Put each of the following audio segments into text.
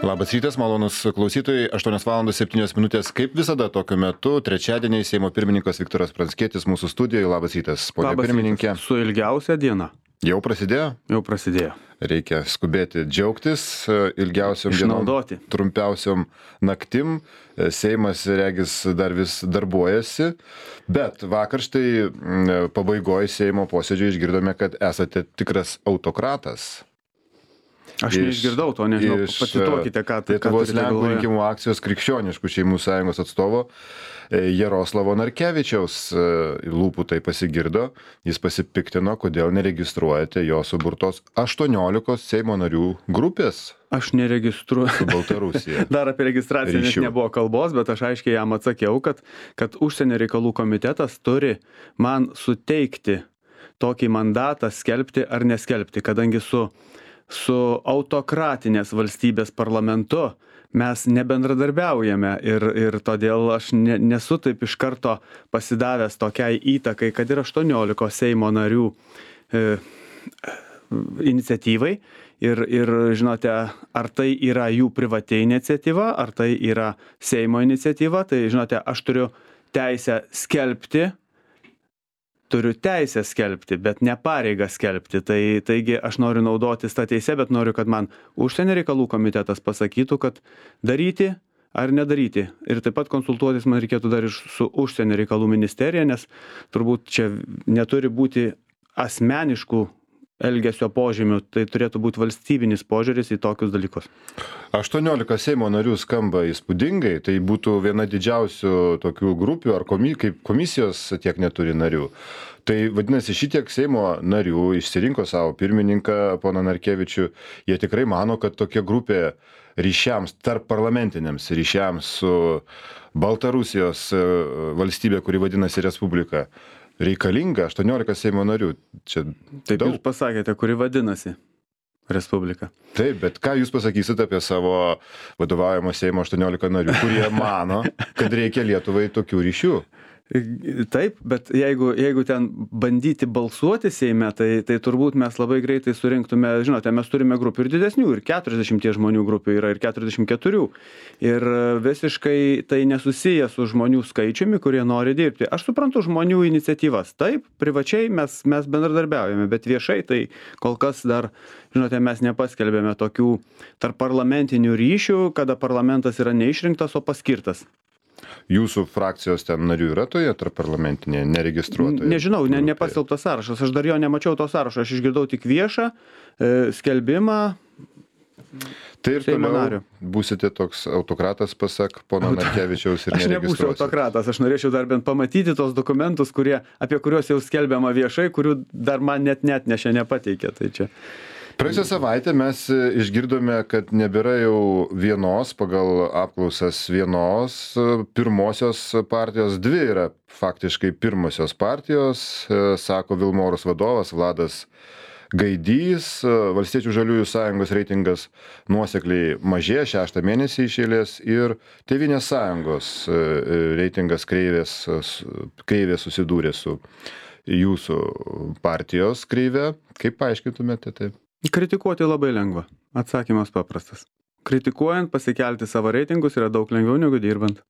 Labas rytas, malonus klausytojai, 8:07. Kaip visada tokiu metu, trečiadienį Seimo pirmininkas Viktoras Pranckietis mūsų studijoje. Labas rytas, ponia pirmininkė. Su ilgiausia diena. Jau prasidėjo? Jau prasidėjo. Reikia skubėti džiaugtis ilgiausiom dienom, trumpiausiom naktim. Seimas, regis, dar vis darbuojasi, bet vakar štai pabaigoje Seimo posėdžio išgirdome, kad esate tikras autokratas. Aš neišgirdau to, nežinau, pacituokite, ką Lietuvos Lenkų rinkimų akcijos Krikščioniškų šeimų sąjungos atstovo Jaroslavo Narkevičiaus lūpų tai pasigirdo. Jis pasipiktino, kodėl neregistruojate jo suburtos 18 Seimo narių grupės. Aš neregistruoju. Su Baltarusija. Dar apie registraciją net nebuvo kalbos, bet aš aiškiai jam atsakiau, kad užsienio reikalų komitetas turi man suteikti tokį mandatą skelbti ar neskelbti, kadangi su autokratinės valstybės parlamentu mes nebendradarbiaujame ir todėl aš nesu taip iš karto pasidavęs tokiai įtakai, kad ir 18 Seimo narių iniciatyvai ir žinote, ar tai yra jų privati iniciatyva, ar tai yra Seimo iniciatyva, tai žinote, aš turiu teisę skelbti, bet ne pareigą skelbti. Taigi aš noriu naudotis tą teisę, bet noriu, kad man užsienio reikalų komitetas pasakytų, kad daryti ar nedaryti. Ir taip pat konsultuotis man reikėtų dar ir su užsienio reikalų ministerija, nes turbūt čia neturi būti asmeniškų elgesio požymių, tai turėtų būti valstybinis požiūris į tokius dalykus. 18 Seimo narių skamba įspūdingai, tai būtų viena didžiausių tokių grupių, ar kaip komisijos tiek neturi narių. Tai vadinasi, šitiek Seimo narių išsirinko savo pirmininką, poną Narkevičių, jie tikrai mano, kad tokia grupė ryšiams, tarp parlamentiniams ryšiams su Baltarusijos valstybė, kuri vadinasi Respublika, reikalinga 18 Seimo narių. Čia taip daug. Jūs pasakėte, kuri vadinasi Respublika. Taip, bet ką jūs pasakysite apie savo vadovaujamo Seimo 18 narių, kurie mano, kad reikia Lietuvai tokių ryšių? Taip, bet jeigu ten bandyti balsuoti Seime, tai turbūt mes labai greitai surinktume, žinote, mes turime grupių ir didesnių, ir 40 žmonių grupių yra, ir 44. Ir visiškai tai nesusiję su žmonių skaičiumi, kurie nori dirbti. Aš suprantu žmonių iniciatyvas. Taip, privačiai mes bendradarbiaujame, bet viešai tai kol kas dar, žinote, mes nepaskelbėme tokių tarp parlamentinių ryšių, kada parlamentas yra neišrinktas, o paskirtas. Jūsų frakcijos ten narių yra toje tarp parlamentinėje, neregistruotoje? Nežinau, nepaskelbtas sąrašas. Aš dar jo nemačiau to sąrašo. Aš išgirdau tik viešą skelbimą. Tai ir toliau būsite toks autokratas, pasak pono Narkevičiaus, ir neregistruosite. Aš nebūsiu autokratas. Aš norėčiau dar bent pamatyti tos dokumentus, apie kuriuos jau skelbiama viešai, kurių dar man net nešė nepateikė. Tai čia. Praėjusią savaitę mes išgirdome, kad nebėra jau vienos, pagal apklausas vienos pirmosios partijos, dvi yra faktiškai pirmosios partijos, sako Vilmorus vadovas Vladas Gaidys. Valstiečių žaliųjų sąjungos reitingas nuosekliai mažėja 6 mėnesį iš eilės ir Tėvynės sąjungos reitingas kreivė susidūrė su jūsų partijos kreive. Kaip paaiškintumėte taip? Kritikuoti labai lengva. Atsakymas paprastas. Kritikuojant pasikelti savo reitingus yra daug lengviau negu dirbant.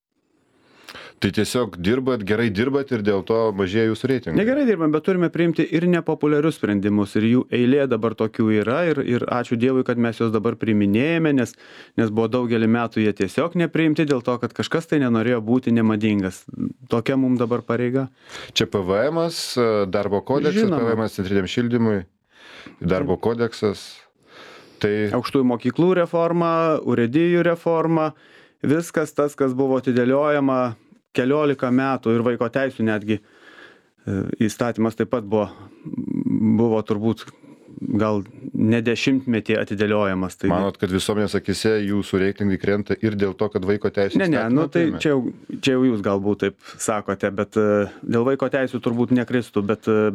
Tai tiesiog gerai dirbat ir dėl to mažėja jūsų reitingai? Negerai dirbam, bet turime priimti ir nepopuliarius sprendimus ir jų eilė dabar tokių yra ir ačiū Dievui, kad mes juos dabar priiminėjame, nes buvo daugelį metų jie tiesiog nepriimti dėl to, kad kažkas tai nenorėjo būti nemadingas. Tokia mums dabar pareiga. Čia PVM-as, darbo kodeksas, PVM-as centriniam šildymui. Darbo kodeksas. Tai aukštųjų mokyklų reforma, urėdijų reforma, viskas tas, kas buvo atidėliojama 14 metų ir vaiko teisių netgi įstatymas taip pat buvo turbūt gal ne 10-metį atidėliojamas. Tai manot, kad visuomenės akise jūsų reitingai krenta ir dėl to, kad vaiko teisų įstatymą? Tai čia jau jūs galbūt taip sakote, bet dėl vaiko teisų turbūt nekristų,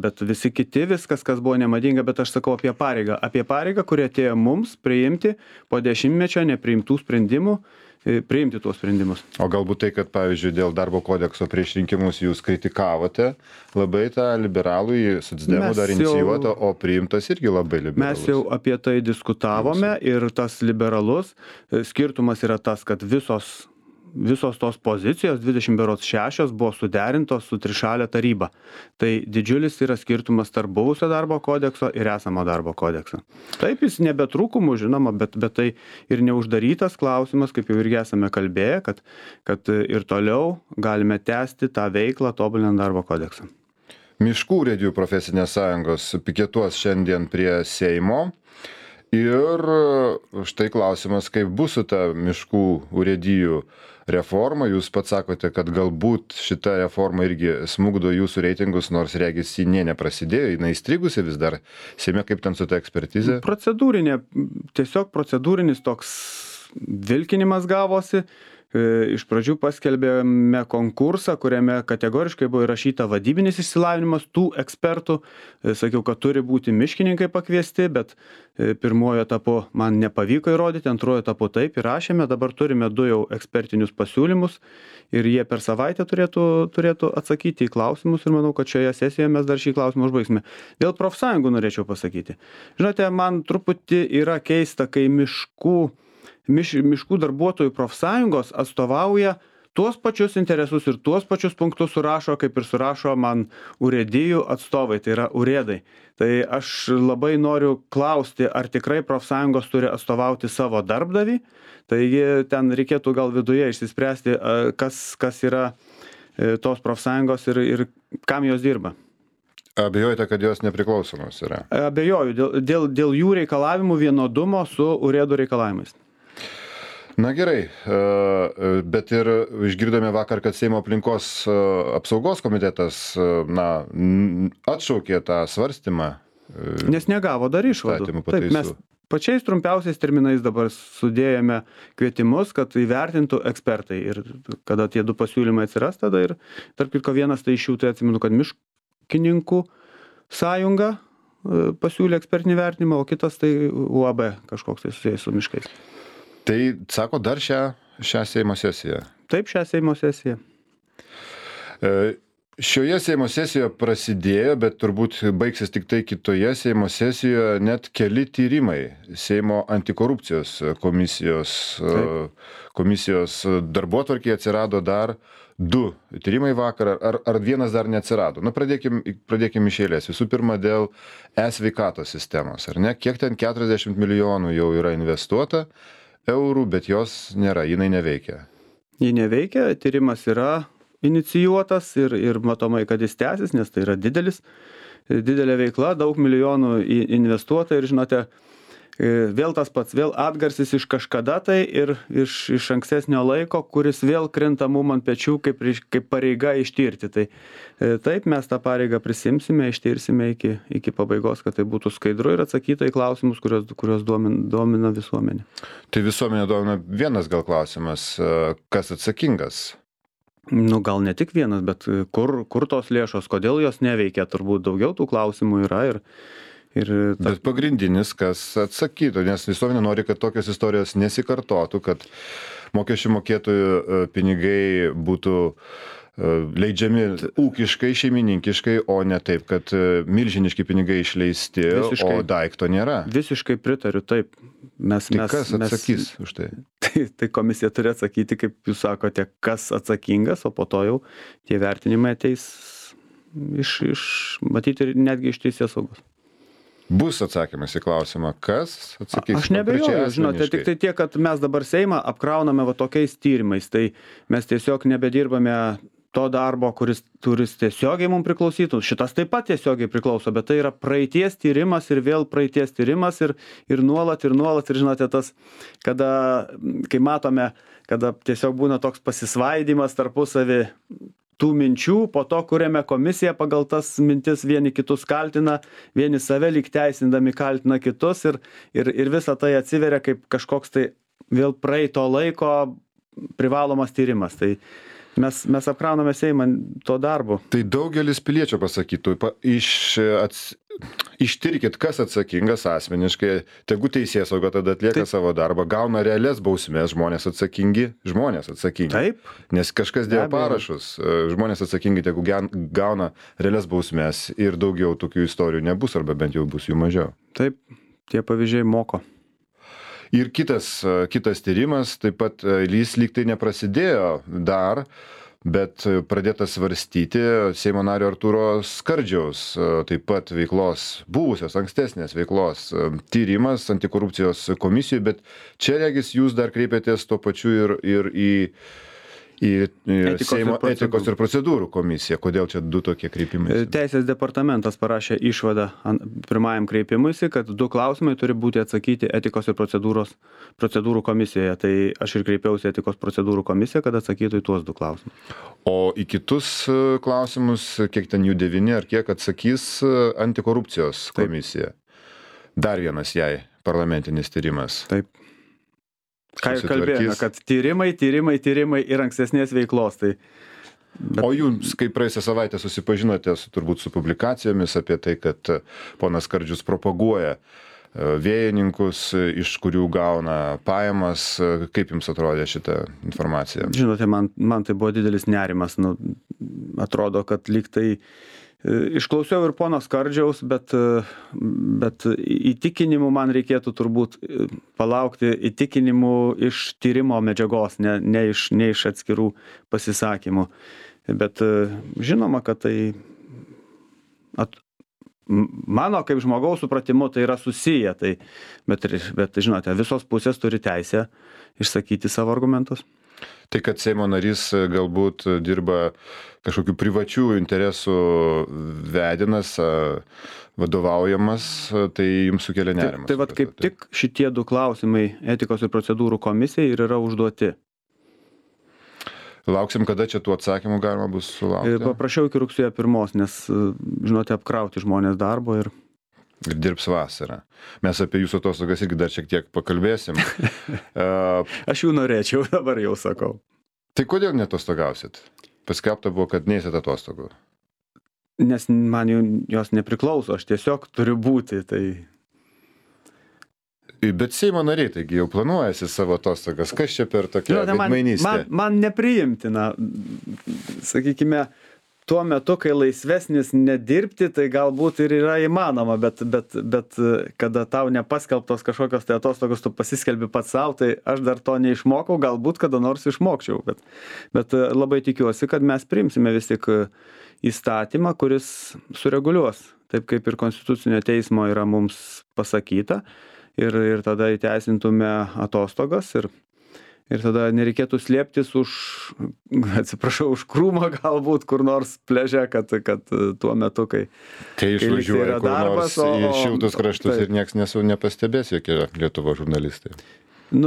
bet visi kiti viskas, kas buvo nemadinga, bet aš sakau apie pareigą, kuri atėjo mums priimti po 10-mečio nepriimtų sprendimų priimti tuos sprendimus. O galbūt tai, kad, pavyzdžiui, dėl darbo kodekso prieš rinkimus jūs kritikavote labai tą liberalų, socdemų dar inicijuotą, o priimtas irgi labai liberalus. Mes jau apie tai diskutavome ir tas liberalus skirtumas yra tas, kad visos tos pozicijos, 26 buvo suderintos su trišalė taryba. Tai didžiulis yra skirtumas tarp buvusio darbo kodekso ir esamo darbo kodekso. Taip, jis nebetrūkumų, žinoma, bet tai ir neuždarytas klausimas, kaip jau irgi esame kalbėję, kad ir toliau galime tęsti tą veiklą tobulinant darbo kodeksą. Miškų urėdijų profesinės sąjungos piketuos šiandien prie Seimo. Ir štai klausimas, kaip bus su ta miškų urėdijų reforma. Jūs pats sakote, kad galbūt šita reforma irgi smugdo jūsų reitingus, nors regis ji neprasidėjo, jinai įstrigusi vis dar. Seime, kaip ten su ta ekspertizė? Tiesiog procedūrinis toks vilkinimas gavosi. Iš pradžių paskelbėme konkursą, kuriame kategoriškai buvo įrašyta vadybinis išsilavinimas tų ekspertų. Sakiau, kad turi būti miškininkai pakviesti, bet pirmojo etapu man nepavyko įrodyti, antrojo etapu taip įrašėme. Dabar turime 2 jau ekspertinius pasiūlymus ir jie per savaitę turėtų atsakyti į klausimus ir manau, kad šioje sesijoje mes dar šį klausimą užbaigsime. Dėl profsąjungų norėčiau pasakyti. Žinote, man truputį yra keista, kai miškų darbuotojų profsąjungos atstovauja tuos pačius interesus ir tuos pačius punktus surašo, kaip ir surašo man urėdijų atstovai, tai yra urėdai. Tai aš labai noriu klausti, ar tikrai profsąjungos turi atstovauti savo darbdavį, taigi ten reikėtų gal viduje išsispręsti, kas yra tos profsąjungos ir kam jos dirba. Abejojate, kad jos nepriklausomos yra? Abejoju, dėl jų reikalavimų vienodumo su urėdų reikalavimais. Na gerai, bet ir išgirdome vakar, kad Seimo aplinkos apsaugos komitetas atšaukė tą svarstymą. Nes negavo dar išvadų. Taip, mes pačiais trumpiausiais terminais dabar sudėjome kvietimus, kad įvertintų ekspertai. Ir kada tie 2 pasiūlymai atsiras, tada ir tarp kitko vienas tai iš jų, tai atsimenu, kad miškininkų sąjunga pasiūlė ekspertinį vertinimą, o kitas tai UAB kažkoks tai susijęs su miškais. Tai sako dar šią Seimo sesiją? Taip, šią Seimo sesiją. Šioje Seimo sesijoje prasidėjo, bet turbūt baigsis tik tai kitoje Seimo sesijoje net keli tyrimai. Seimo antikorupcijos komisijos darbotvarkėje atsirado dar 2 tyrimai vakar, ar vienas dar neatsirado. Pradėkim iš eilės. Visų pirma, dėl e-sveikatos sistemos, ar ne? Kiek ten 40 milijonų jau yra investuota eurų, bet jos nėra, jinai neveikia. Ji neveikia, tyrimas yra inicijuotas ir matomai, kad jis tęsis, nes tai yra didelė veikla, daug milijonų investuota ir žinote, vėl tas pats, vėl atgarsis iš kažkada tai ir iš ankstesnio laiko, kuris vėl krenta mum ant pečių kaip pareiga ištirti. Tai taip, mes tą pareigą prisimsime, ištirsime iki pabaigos, kad tai būtų skaidru ir atsakyta į klausimus, kurios domina visuomenė. Tai visuomenė domina vienas gal klausimas, kas atsakingas? Gal ne tik vienas, bet kur tos lėšos, kodėl jos neveikia, turbūt daugiau tų klausimų yra Bet pagrindinis, kas atsakytų, nes visuomenė nori, kad tokios istorijos nesikartotų, kad mokesčių mokėtojų pinigai būtų leidžiami ūkiškai, šeimininkiškai, o ne taip, kad milžiniški pinigai išleisti, o daikto nėra. Visiškai pritariu, taip. Tai kas atsakys už tai? Tai komisija turi atsakyti, kaip jūs sakote, kas atsakingas, o po to jau tie vertinimai ateis matyti ir netgi iš teisės saugos. Bus atsakymas į klausimą, kas atsakys? Aš nebejoju, žinote, tik tai tiek, kad mes dabar Seimą apkrauname tokiais tyrimais, tai mes tiesiog nebedirbame to darbo, kuris tiesiogiai mums priklausytų. Šitas taip pat tiesiogiai priklauso, bet tai yra praeities tyrimas ir vėl praeities tyrimas ir nuolat, ir žinote, tas, kai matome, kada tiesiog būna toks pasisvaidimas tarpusavį tų minčių, po to kuriame komisiją pagal tas mintis vieni kitus kaltina, vieni save lyg teisindami kaltina kitus ir visa tai atsiveria kaip kažkoks tai vėl praeito laiko privalomas tyrimas. Tai mes apkrauname Seimą to darbu. Tai daugelis piliečių pasakytų, ištirkit, kas atsakingas asmeniškai, tegu teisėsauga tada atlieka savo darbą, gauna realias bausmės, žmonės atsakingi. Taip. Nes kažkas dėjo parašus, žmonės atsakingi, tegu gauna realias bausmės ir daugiau tokių istorijų nebus, arba bent jau bus jų mažiau. Taip, tie pavyzdžiai moko. Ir kitas tyrimas, taip pat jis lyg tai neprasidėjo dar, bet pradėtas svarstyti Seimo nario Artūro Skardžiaus taip pat veiklos, buvusios ankstesnės veiklos tyrimas antikorupcijos komisijoje, bet čia regis jūs dar kreipėtės tuo pačiu ir į Seimo etikos ir procedūrų komisiją. Kodėl čia du tokie kreipimai? Teisės departamentas parašė išvadą pirmajam kreipimuisi, kad 2 klausimai turi būti atsakyti etikos ir procedūrų komisijoje. Tai aš ir kreipiausi etikos procedūrų komisiją, kad atsakytų į tuos 2 klausimus. O į kitus klausimus, kiek ten jų 9 ar kiek atsakys antikorupcijos komisija? Dar vienas jai parlamentinis tyrimas. Taip. Ką ir kalbėjome, kad tyrimai ir ankstesnės veiklos. O jūs, kai praėjusią savaitę susipažinote turbūt su publikacijomis apie tai, kad ponas Skardžius propaguoja vėjininkus, iš kurių gauna pajamas, kaip jums atrodė šitą informaciją? Žinote, man tai buvo didelis nerimas. Atrodo, kad lyg tai išklausiau ir pono Skardžiaus, bet įtikinimų man reikėtų turbūt palaukti įtikinimų iš tyrimo medžiagos, ne iš atskirų pasisakymų. Bet žinoma, kad tai mano kaip žmogaus supratimu tai yra susiję, bet žinote, visos pusės turi teisę išsakyti savo argumentus. Tai, kad Seimo narys galbūt dirba kažkokių privačių interesų vedinas, vadovaujamas, tai jums sukelia nerimas. Tai vat kaip tik šitie 2 klausimai etikos ir procedūrų komisijai ir yra užduoti. Lauksim, kada čia tų atsakymų galima bus sulaukti? Paprašiau iki rugsėjo 1, nes, žinote, apkrauti žmonės darbo ir dirbs vasarą. Mes apie jūsų atostogas irgi dar šiek tiek pakalbėsim. Aš jų norėčiau, dabar jau sakau. Tai kodėl netostogausit? Paskelbta buvo, kad neįsit atostogų. Nes man jos nepriklauso, aš tiesiog turiu būti. Bet Seimo nariai, taigi jau planuojasi savo atostogas. Kas čia per tokią veidmainystę? Man nepriimtina, sakykime, tuo metu, kai laisvesnis nedirbti, tai galbūt ir yra įmanoma, bet kada tau nepaskelbtos kažkokios tai atostogos, tu pasiskelbi pats savo, tai aš dar to neišmokau, galbūt kada nors išmokčiau, bet labai tikiuosi, kad mes priimsime vis tik įstatymą, kuris sureguliuos, taip kaip ir Konstitucinio teismo yra mums pasakyta, ir tada įteisintume atostogas ir tada nereikėtų slėptis už krūmo galbūt kur nors pliaže, kad tuo metu, kai išvažiuoja kur nors į šiltus kraštus ir nieks nepastebės, jokie Lietuvo žurnalistai.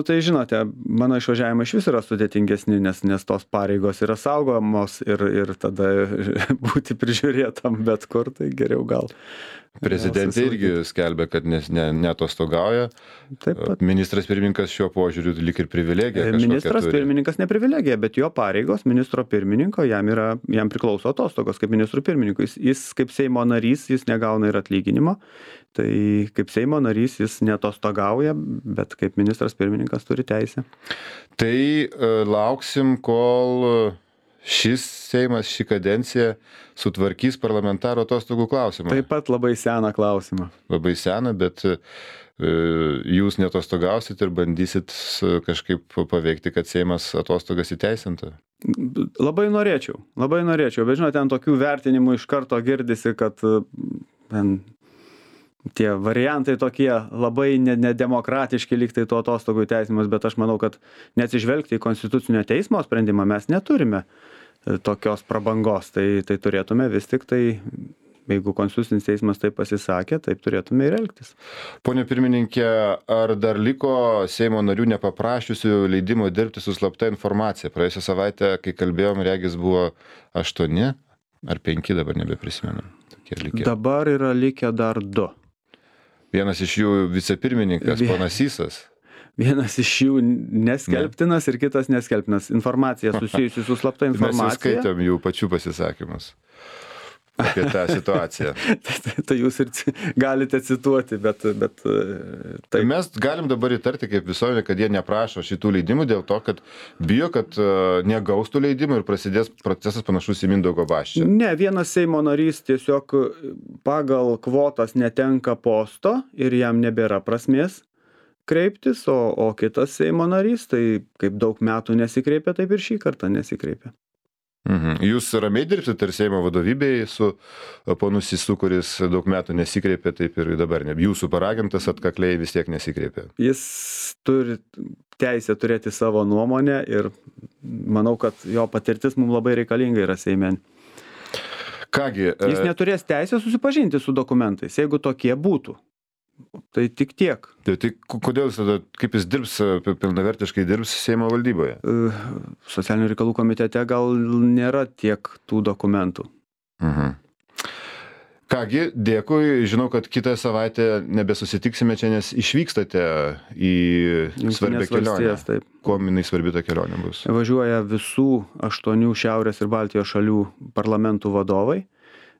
Tai žinote, mano išvažiavimai iš vis yra sudėtingesni, nes tos pareigos yra saugomos ir tada būti prižiūrėtam bet kur, tai geriau gal. Prezidentė irgi skelbia, kad neatostogauja. Ministras pirmininkas šiuo požiūriu lyg ir privilegija. Ministras pirmininkas ne privilegija, bet jo pareigos ministro pirmininko jam priklauso atostogos kaip ministrų pirmininkui. Jis kaip Seimo narys, jis negauna ir atlyginimo. Tai kaip Seimo narys jis neatostogauja, bet kaip ministras pirmininkas turi teisę. Tai lauksim, kol šis Seimas, ši kadencija sutvarkys parlamentaro atostogų klausimą. Taip pat labai seną klausimą. Labai seną, bet jūs neatostogausit ir bandysit kažkaip paveikti, kad Seimas atostogas įteisintų? Labai norėčiau, bet žinote, ten tokių vertinimų iš karto girdisi, kad tie variantai tokie labai nedemokratiški lyg tai to atostogų įteisinimas, bet aš manau, kad neatsižvelgti į Konstitucinio teismo sprendimą mes neturime tokios prabangos, tai turėtume vis tik tai, jeigu Konstitucinis teismas taip pasisakė, taip turėtume ir elgtis. Pone pirmininkė, ar dar liko Seimo narių nepaprašiusių leidimo dirbti su slapta informacija? Praėjusią savaitę, kai kalbėjom, regis buvo 8 ar 5, dabar nebeprisimenu. Dabar yra likę dar 2. Vienas iš jų vicepirmininkas, ponas Sysas. Vienas iš jų neskelbtinas ir kitas neskelbtinas. Informacija susijusi su slapta informacija. Mes jau skaitėm jų pačių pasisakymus. apie tą situaciją. Tai jūs ir galite cituoti, bet Tai mes galim dabar įtarti kaip visuomenė, kad jie neprašo šitų leidimų dėl to, kad bijo, kad negaus tų leidimų ir prasidės procesas panašus į Mindaugo Basčio. Ne, vienas Seimo narys tiesiog pagal kvotas netenka posto ir jam nebėra prasmės kreiptis, o kitas Seimo narys, tai kaip daug metų nesikreipia, taip ir šį kartą nesikreipia. Jūs ramiai dirbsite ir Seimo vadovybėje su ponu Sysu, kuris daug metų nesikreipė, taip ir dabar ne. Jūsų paragintas atkakliai vis tiek nesikreipė. Jis turi teisę turėti savo nuomonę ir manau, kad jo patirtis mums labai reikalinga yra Seime. Kągi. Jis neturės teisę susipažinti su dokumentais, jeigu tokie būtų. Tai tik tiek. Tai kodėl jis tada, kaip jis dirbs, pilnavertiškai dirbs Seimo valdyboje? Socialinių reikalų komitete gal nėra tiek tų dokumentų. Kągi, dėkui. Žinau, kad kitą savaitę nebesusitiksime čia, nes išvykstate į svarbią kelionę. Taip. Kuo jinai svarbi ta kelionė bus? Važiuoja visų 8 Šiaurės ir Baltijos šalių parlamentų vadovai,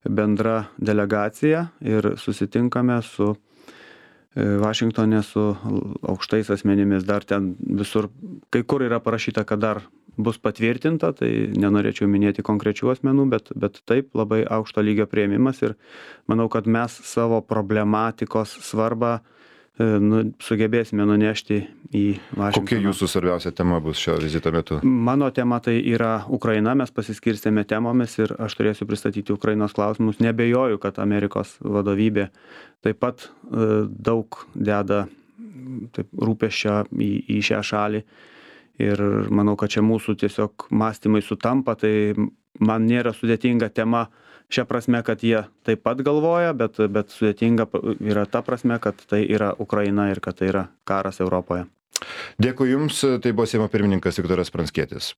bendra delegacija ir susitinkame su Vašingtone su aukštais asmenimis. Dar ten visur, kai kur yra parašyta, kad dar bus patvirtinta, tai nenorėčiau minėti konkrečių asmenų, bet taip labai aukšto lygio priėmimas ir manau, kad mes savo problematikos svarbą sugebėsime nunešti į Vašingtoną. Kokia jūsų svarbiausia tema bus šio vizito metu? Mano tema tai yra Ukraina, mes pasiskirstėme temomis ir aš turėsiu pristatyti Ukrainos klausimus. Nebejoju, kad Amerikos vadovybė taip pat daug deda rūpesčio į šią šalį ir manau, kad čia mūsų tiesiog mąstymai sutampa, tai man nėra sudėtinga tema šią prasme, kad jie taip pat galvoja, bet sudėtinga yra ta prasme, kad tai yra Ukraina ir kad tai yra karas Europoje. Dėkui Jums, tai buvo Seimo pirmininkas Viktoras Pranckietis.